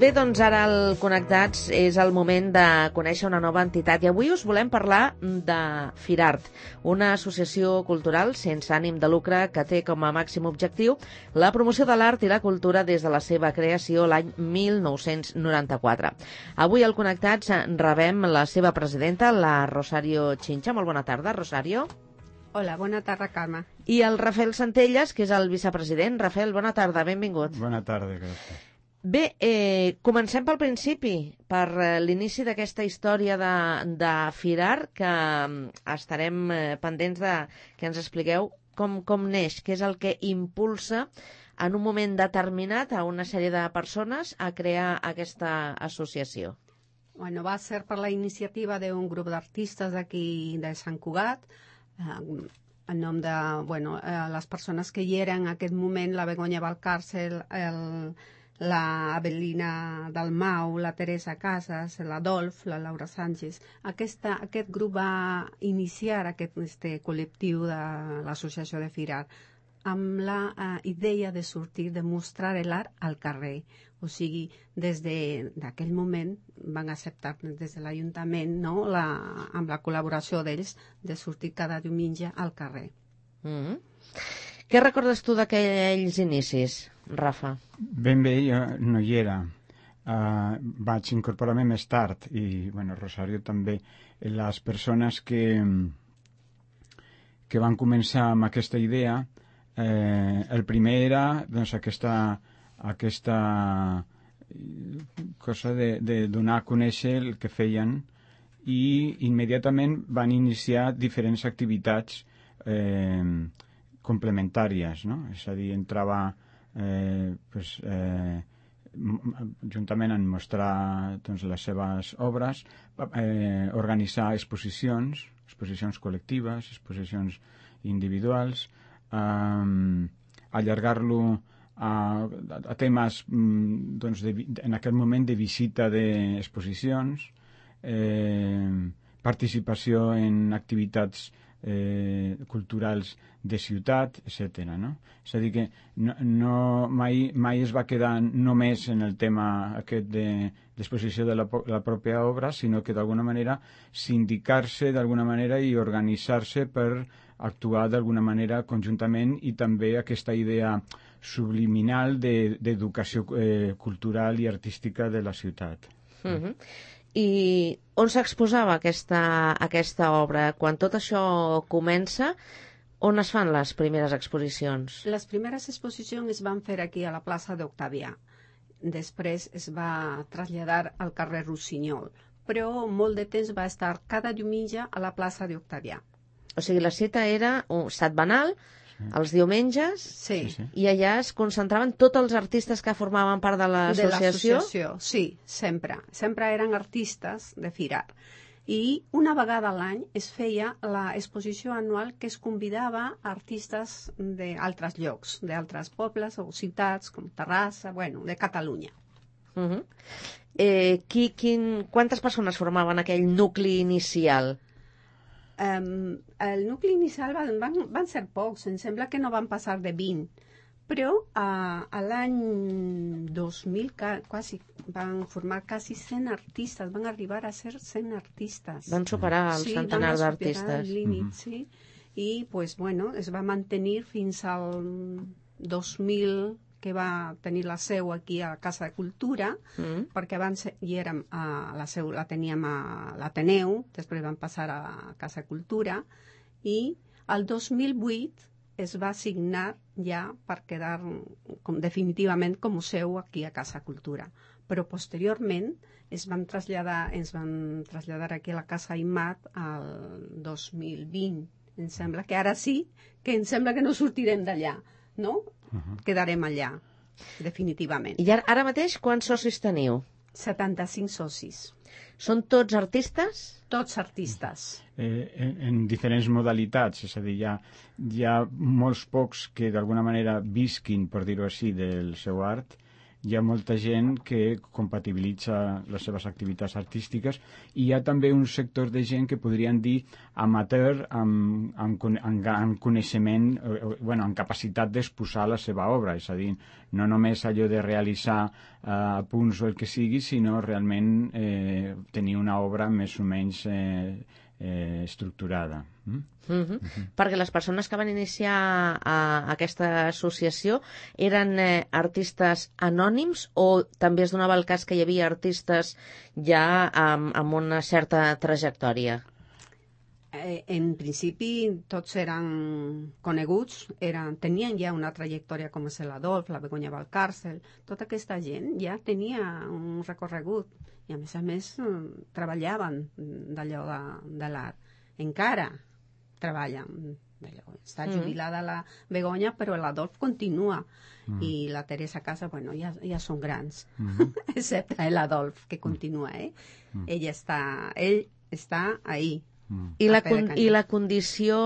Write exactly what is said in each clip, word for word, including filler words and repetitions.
Bé, doncs ara al Connectats és el moment de conèixer una nova entitat i avui us volem parlar de Firart, una associació cultural sense ànim de lucre que té com a màxim objectiu la promoció de l'art i la cultura des de la seva creació l'any mil nou-cents noranta-quatre. Avui al Connectats rebem la seva presidenta, la Rosario Chincha. Molt bona tarda, Rosario. Hola, bona tarda, Carme. I el Rafael Centelles, que és el vicepresident. Rafael, bona tarda, benvingut. Bona tarda, gràcies. Bé, eh, comencem pel principi, per eh, l'inici d'aquesta història de, de Firart, que eh, estarem eh, pendents de que ens expliqueu com, com neix, què és el que impulsa en un moment determinat a una sèrie de persones a crear aquesta associació. Bueno, va ser per la iniciativa d'un grup d'artistes d'aquí de Sant Cugat, eh, en nom de bueno, eh, les persones que hi eren en aquest moment, la Begoña Valcàrcel, el... la Avelina Dalmau, la Teresa Casas, l'Adolf, la Laura Sánchez. Aquesta, aquest grup va iniciar aquest este col·lectiu de l'associació de Firart amb la uh, idea de sortir, de mostrar l'art al carrer. O sigui, des d'aquell moment van acceptar des de l'Ajuntament, no? la, amb la col·laboració d'ells, de sortir cada diumenge al carrer. Mm-hmm. Què recordes tu d'aquells inicis, Rafa? Ben bé, jo no hi era. Uh, vaig incorporar-me més tard i, bueno, Rosario també. Les persones que, que van començar amb aquesta idea, eh, el primer era doncs, aquesta, aquesta cosa de, de donar a conèixer el que feien i immediatament van iniciar diferents activitats eh, complementàries, no? És a dir, entrava eh, pues, eh, juntament en mostrar doncs, les seves obres, eh, organitzar exposicions, exposicions col·lectives, exposicions individuals, eh, allargar-lo a, a temes doncs, de, en aquest moment de visita d'exposicions, eh, participació en activitats Eh, culturals de ciutat, etcètera. No? És a dir, que no, no, mai, mai es va quedar només en el tema aquest d'exposició de, de la, la pròpia obra, sinó que d'alguna manera sindicar-se d'alguna manera i organitzar-se per actuar d'alguna manera conjuntament i també aquesta idea subliminal d'educació de, eh, cultural i artística de la ciutat. Mm-hmm. I on s'exposava aquesta, aquesta obra? Quan tot això comença, on es fan les primeres exposicions? Les primeres exposicions es van fer aquí a la plaça d'Octavià. Després es va traslladar al carrer Rossinyol, però molt de temps va estar cada diumenge a la plaça d'Octavià. O sigui, la cita era un setmanal, els diumenges, sí. Sí, sí. I allà es concentraven tots els artistes que formaven part de l'associació? De l'associació, sí, sempre. Sempre eren artistes de Firart. I una vegada a l'any es feia l'exposició anual que es convidava artistes d'altres llocs, d'altres pobles o ciutats, com Terrassa, bueno, de Catalunya. Uh-huh. eh, qui, quin, quantes persones formaven aquell nucli inicial? Um, el nucli inicial van, van, van ser pocs, em sembla que no van passar de vint, però uh, a l'any dos mil ca, quasi, van formar quasi cent artistes, van arribar a ser cent artistes. Van superar el sí, centenar d'artistes. Sí, van superar el límit, mm-hmm. sí. I pues, bueno, es va mantenir fins al dos mil, que va tenir la seu aquí a la Casa de Cultura, mm. perquè abans hi érem a la seu, la teníem a l'Ateneu, després vam passar a Casa de Cultura, i el dos mil vuit es va assignar ja per quedar com, definitivament com a seu aquí a Casa Cultura. Però posteriorment es van traslladar, ens van traslladar aquí a la Casa Imat al dos mil vint. Em sembla que ara sí, que em sembla que no sortirem d'allà, no? Uh-huh. Quedarem allà, definitivament. I ara, ara mateix quants socis teniu? setanta-cinc socis. Són tots artistes? Tots artistes. Eh, en, en diferents modalitats, és a dir, hi ha, hi ha molts pocs que d'alguna manera visquin, per dir-ho així, del seu art, hi ha molta gent que compatibilitza les seves activitats artístiques i hi ha també un sector de gent que podríem dir amateur amb, amb, amb, amb coneixement, eh, bueno, amb capacitat d'exposar la seva obra, és a dir, no només allò de realitzar eh, punts o el que sigui, sinó realment eh, tenir una obra més o menys eh, eh, estructurada. Mm? Uh -huh. Uh -huh. Perquè les persones que van iniciar a, a aquesta associació eren eh, artistes anònims o també es donava el cas que hi havia artistes ja amb, amb una certa trajectòria? Eh, en principi tots eren coneguts, eren, tenien ja una trajectòria com és l'Adolf, la Begoña Valcàrcel, tota aquesta gent ja tenia un recorregut i a més a més treballaven d'allò de, de l'art. Encara treballen d'allò. Està jubilada mm. la Begoña, però l'Adolf continua. Mm. I la Teresa Casa, bueno, ja, ja són grans, mm. excepte l'Adolf, que continua, eh? Mm. Ell està, ell està ahí. Mm. I, la I la condició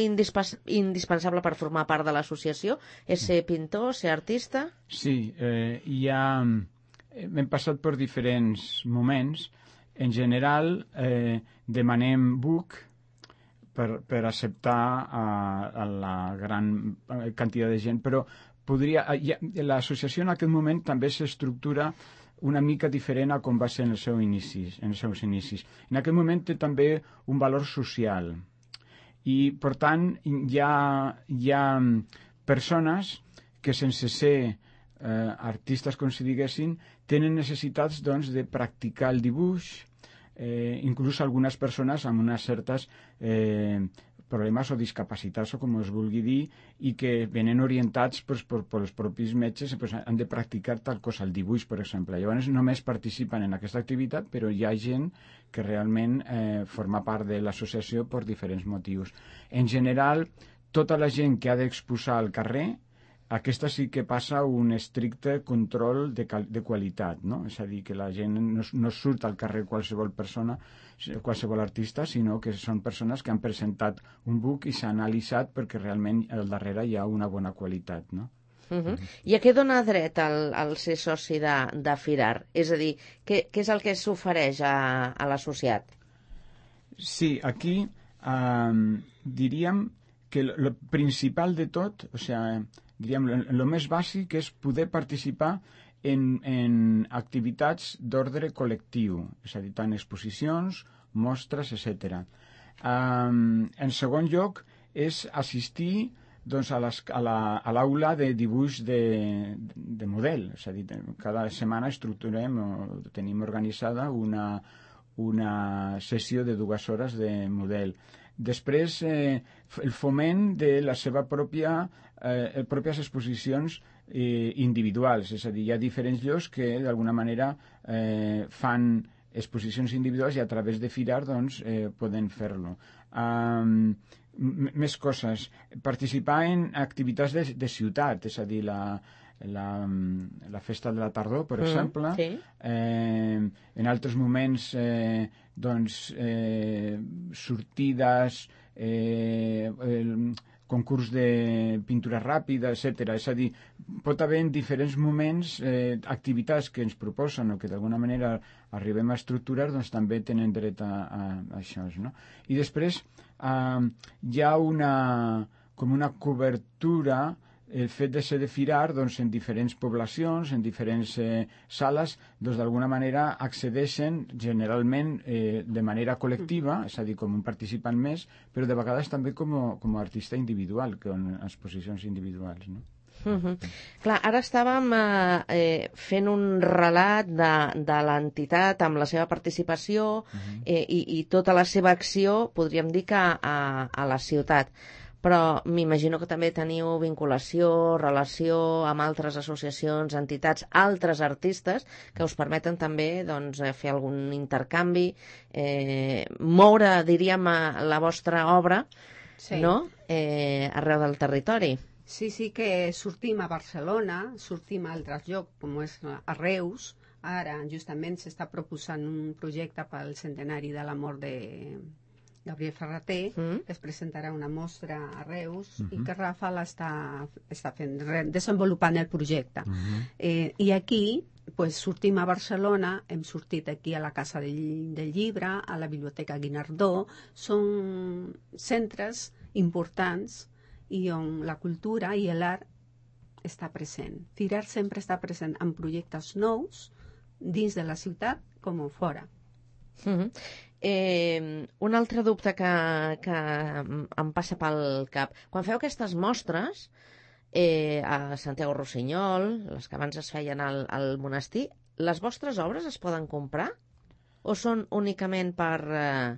indispens indispensable per formar part de l'associació és ser pintor, ser artista? Sí, eh, hi ha... Hem passat per diferents moments. En general, eh, demanem book per, per acceptar a, a la gran quantitat de gent, però podria... L'associació en aquest moment també s'estructura una mica diferent a com va ser en, el seu inicis, en els seus inicis. En aquest moment té també un valor social i, per tant, hi ha, hi ha persones que sense ser eh, artistes, com si diguessin, tenen necessitats doncs, de practicar el dibuix, eh, inclús algunes persones amb unes certes eh, problemes o discapacitats o com es vulgui dir i que venen orientats pues, per, per els propis metges pues, han de practicar tal cosa, el dibuix per exemple. Llavors només participen en aquesta activitat però hi ha gent que realment eh, forma part de l'associació per diferents motius. En general, tota la gent que ha d'exposar al carrer, aquesta sí que passa un estricte control de, de qualitat, no? És a dir, que la gent no, no surt al carrer qualsevol persona, qualsevol artista, sinó que són persones que han presentat un book i s'ha analitzat perquè realment al darrere hi ha una bona qualitat, no? Uh -huh. I a què dona dret al, al ser soci de, de Firart? És a dir, què, què és el que s'ofereix a, a l'associat? Sí, aquí eh, diríem que el principal de tot, o sigui, diríem, el més bàsic és poder participar en, en activitats d'ordre col·lectiu, és a dir, tant exposicions, mostres, etcètera. Um, en segon lloc, és assistir doncs, a l'aula la, de dibuix de, de model, és a dir, cada setmana estructurem o tenim organitzada una, una sessió de dues hores de model. Després, eh, el foment de la seva pròpia, eh, pròpies exposicions eh, individuals, és a dir, hi ha diferents llocs que d'alguna manera eh, fan exposicions individuals i a través de Firart doncs, eh, poden fer-lo. Um, més coses. Participar en activitats de, de ciutat, és a dir, la, la, la festa de la tardor, per mm, exemple. Sí. Eh, en altres moments, eh, doncs, eh, sortides, eh, el concurs de pintura ràpida, etcètera. És a dir, pot haver en diferents moments eh, activitats que ens proposen o que d'alguna manera arribem a estructurar, doncs també tenen dret a, a, a això, no? I després eh, hi ha una, com una cobertura, el fet de ser de Firart doncs, en diferents poblacions, en diferents eh, sales, doncs d'alguna manera accedeixen generalment eh, de manera col·lectiva, és a dir, com un participant més, però de vegades també com a, com a artista individual, con exposicions individuals, no? Uh -huh. Clar, ara estàvem eh, eh, fent un relat de, de l'entitat amb la seva participació uh -huh. eh, i, i tota la seva acció, podríem dir que a, a la ciutat. Però m'imagino que també teniu vinculació, relació amb altres associacions, entitats, altres artistes que us permeten també doncs, fer algun intercanvi, eh, moure, diríem, la vostra obra sí. no? eh, arreu del territori. Sí, sí que sortim a Barcelona, sortim a altres llocs, com és a Reus. Ara justament s'està proposant un projecte pel centenari de la mort de... Gabriel Ferrater, Mm. que es presentarà una mostra a Reus Mhm. i que Rafael està, està fent, re- desenvolupant el projecte. Mhm. Eh, I aquí pues, sortim a Barcelona, hem sortit aquí a la Casa del, del Llibre, a la Biblioteca Guinardó, són centres importants i on la cultura i l'art està present. Firar sempre està present en projectes nous dins de la ciutat com fora. Mm-hmm. Eh, un altre dubte que, que em passa pel cap. Quan feu aquestes mostres eh, a Santiago Rossinyol, les que abans es feien al, al monestir, les vostres obres es poden comprar? O són únicament per, eh,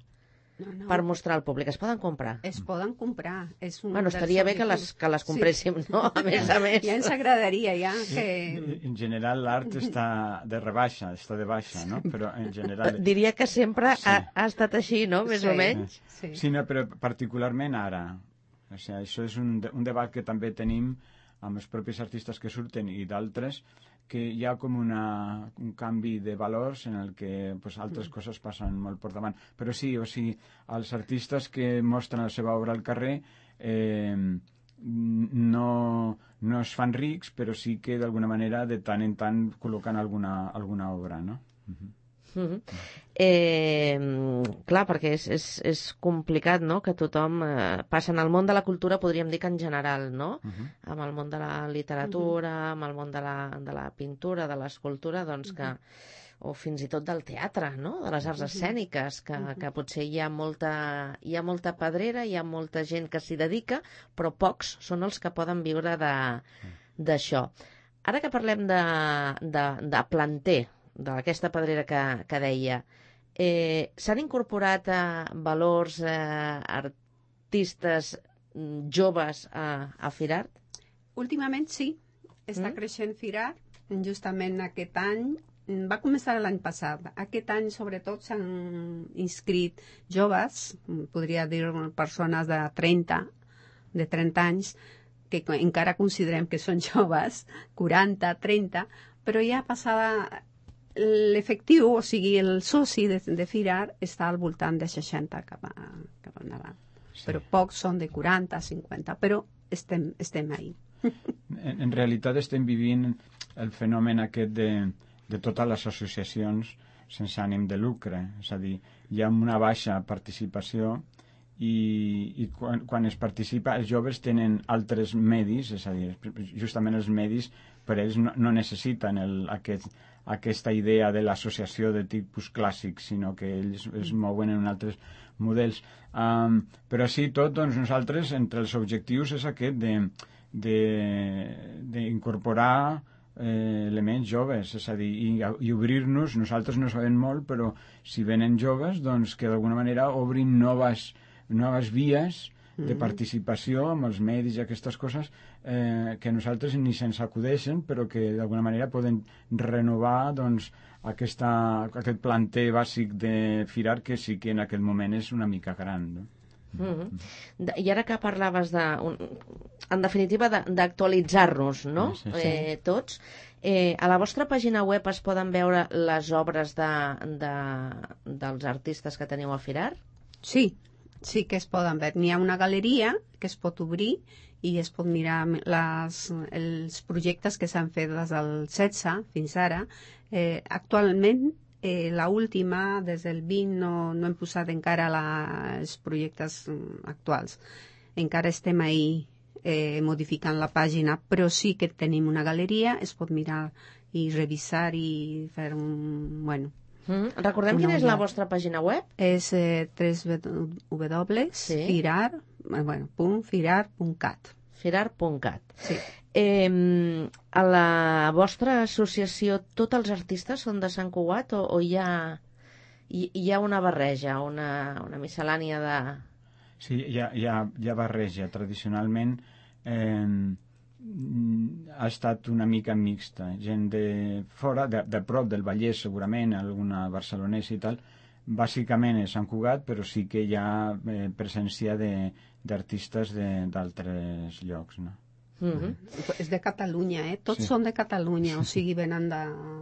No, no. per mostrar al públic? Es poden comprar? Es poden comprar. És un Bueno, dels estaria bé que les, objectius. que les compréssim, Sí. no? A més a més. Ja ens agradaria, ja, que... En general l'art està de rebaixa, està de baixa, no? Però en general... Diria que sempre Sí. ha, ha estat així, no? Més Sí. o menys. Sí. Sí, no, però particularment ara. O sigui, això és un, de- un debat que també tenim amb els propis artistes que surten i d'altres, que hi ha com una, un canvi de valors en el que pues, altres coses passen molt per davant. Però sí, o sigui, els artistes que mostren la seva obra al carrer eh, no, no es fan rics, però sí que d'alguna manera de tant en tant col·loquen alguna, alguna obra, no? Mhm. Mm-hmm. Eh, clar, perquè és, és, és complicat, no?, que tothom eh, passa en el món de la cultura, podríem dir que en general, no?, Mhm. amb el món de la literatura, amb el món de la, de la pintura, de l'escultura, doncs que, o fins i tot del teatre, no?, de les arts escèniques, que, que potser hi ha molta, hi ha molta pedrera, hi ha molta gent que s'hi dedica, però pocs són els que poden viure de- d'això. Ara que parlem de, de, de planter, d'aquesta pedrera que, que deia, eh, s'han incorporat eh, valors eh, artistes mm, joves a, a Firart? Últimament sí, està Mm. creixent Firar. Justament aquest any, va començar l'any passat. Aquest any, sobretot, s'han inscrit joves, podria dir persones de trenta, de trenta anys, que encara considerem que són joves, quaranta, trenta, però ja passada l'efectiu, o sigui, el soci de, de Firar està al voltant de seixanta cap, a, cap endavant. Sí. Però pocs són de quaranta, cinquanta, però estem, estem ahí. En, en realitat estem vivint el fenomen aquest de, de totes les associacions sense ànim de lucre. És a dir, hi ha una baixa participació i, i quan, quan es participa, els joves tenen altres medis, és a dir, justament els medis per ells no, no necessiten el, aquest, aquesta idea de l'associació de tipus clàssic, sinó que ells es mouen en altres models. Um, però sí, tot, doncs nosaltres, entre els objectius és aquest de d'incorporar eh, elements joves, és a dir, i, i obrir-nos, nosaltres no sabem molt, però si venen joves, doncs que d'alguna manera obrin noves, noves vies de participació amb els medis i aquestes coses eh, que nosaltres ni se'ns acudeixen, però que d'alguna manera poden renovar doncs, aquesta, aquest planter bàsic de Firar, que sí que en aquest moment és una mica gran, no? Mm-hmm. I ara que parlaves de, un, en definitiva, d'actualitzar-nos, no? Sí, sí. Eh, tots. Eh, a la vostra pàgina web es poden veure les obres de, de, dels artistes que teniu a Firar? Sí, sí que es poden veure. N'hi ha una galeria que es pot obrir i es pot mirar les, els projectes que s'han fet des del setze fins ara. Eh, actualment, eh, la última, des del vint, no, no hem posat encara la, els projectes mm, actuals. Encara estem ahí eh, modificant la pàgina, però sí que tenim una galeria, es pot mirar i revisar i fer un... Bueno, Mm. Recordem Una quina és la ullada. vostra pàgina web? és eh, w Sí. firar, eh, bueno, punt firar punt cat. firar punt cat. Sí. Eh, a la vostra associació tots els artistes són de Sant Cugat o, o hi, ha, hi, hi ha una barreja, una, una miscel·lània de... Sí, hi ha, hi ha, hi ha barreja. Tradicionalment eh, ha estat una mica mixta. Gent de fora, de, de prop del Vallès segurament, alguna barcelonesa i tal, bàsicament és Sant Cugat, però sí que hi ha eh, presència d'artistes d'altres llocs, no? Mm-hmm. És de Catalunya, eh? Tots sí. són de Catalunya, o sigui, venen de,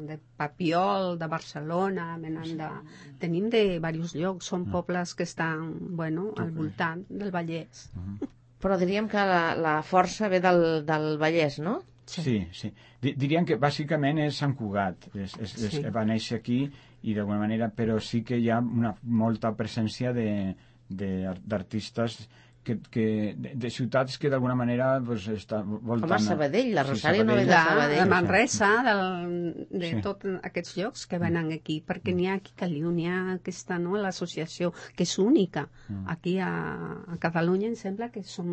de Papiol, de Barcelona, venen de... Tenim de diversos llocs, són pobles que estan, bueno, al voltant del Vallès. Mm-hmm. Però diríem que la, la força ve del, del Vallès, no? Sí, sí. Diríem que bàsicament és Sant Cugat, és, és, és, sí. va néixer aquí i d'alguna manera, però sí que hi ha una molta presència de, de, d'artistes que, que, de, de ciutats que d'alguna manera pues, està voltant... Com a Sabadell, la Rosario sí, no ve de Sabadell. De Manresa, del, de sí. tots aquests llocs que venen aquí, perquè n'hi ha aquí a Caliu, n'hi ha aquesta, no?, l'associació, que és única. Mm. Aquí a, a Catalunya em sembla que som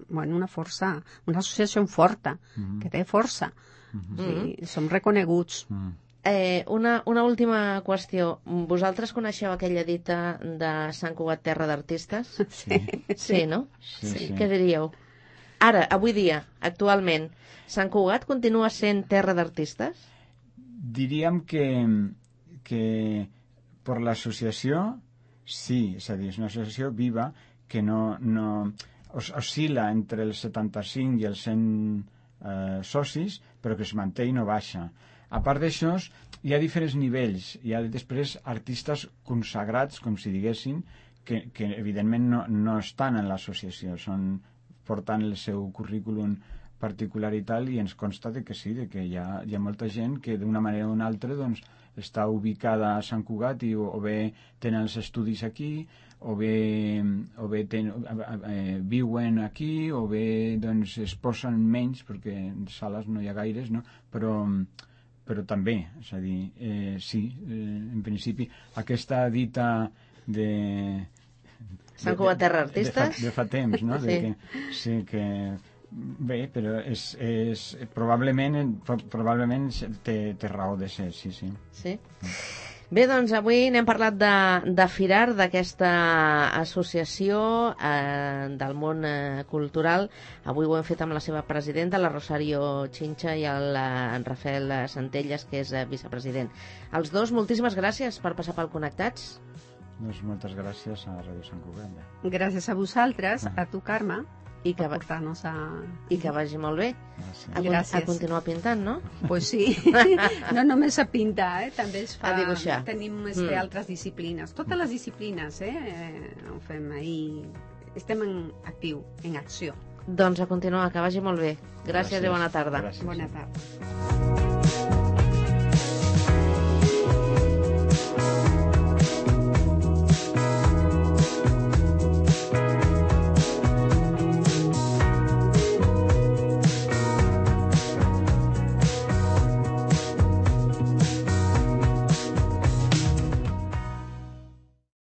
bueno, una força, una associació forta, mm. que té força. Mm-hmm. Sí, mm. som reconeguts. Mm. Eh, una, una última qüestió. Vosaltres coneixeu aquella dita de Sant Cugat, terra d'artistes? Sí. Sí, no? Sí, sí. Què diríeu? Ara, avui dia, actualment, Sant Cugat continua sent terra d'artistes? Diríem que, que per l'associació, sí, és a dir, és una associació viva que no, no os, oscil·la entre els setanta-cinc i els cent eh, socis, però que es manté i no baixa. A part d'això, hi ha diferents nivells. Hi ha després artistes consagrats, com si diguéssim, que, que evidentment no, no estan en l'associació, són portant el seu currículum particular i tal, i ens consta de que sí, de que hi ha, hi ha molta gent que d'una manera o una altra doncs, està ubicada a Sant Cugat i o, o bé tenen els estudis aquí, o bé, o bé ten, eh, viuen aquí, o bé doncs, es posen menys, perquè en sales no hi ha gaires, no? però... però també, és a dir, eh, sí, eh, en principi, aquesta dita de... Sant Cugat, terra d'artistes? De, de, fa, de fa temps, no? Sí. De que, sí, que... Bé, però és, és, probablement, probablement té, té raó de ser, sí, sí. Sí? Bé, doncs avui n'hem parlat de, de Firar, d'aquesta associació eh, del món eh, cultural. Avui ho hem fet amb la seva presidenta, la Rosario Chincha, i el eh, Rafael Centelles, que és eh, vicepresident. Els dos, moltíssimes gràcies per passar pel Connectats. Doncs moltes gràcies a Ràdio Sant Cugat. Gràcies a vosaltres, a tu, Carme. I que, va... a... I que vagi molt bé. A, Gràcies. A continuar pintant, no? Pues sí. No només a pintar, eh? També es fa... A dibuixar. Tenim este, mm. altres disciplines. Totes les disciplines, eh? eh ho fem ahir. Estem en actiu, en acció. Doncs a continuar, que vagi molt bé. Gràcies, Gràcies. I bona tarda. Gràcies. Bona tarda.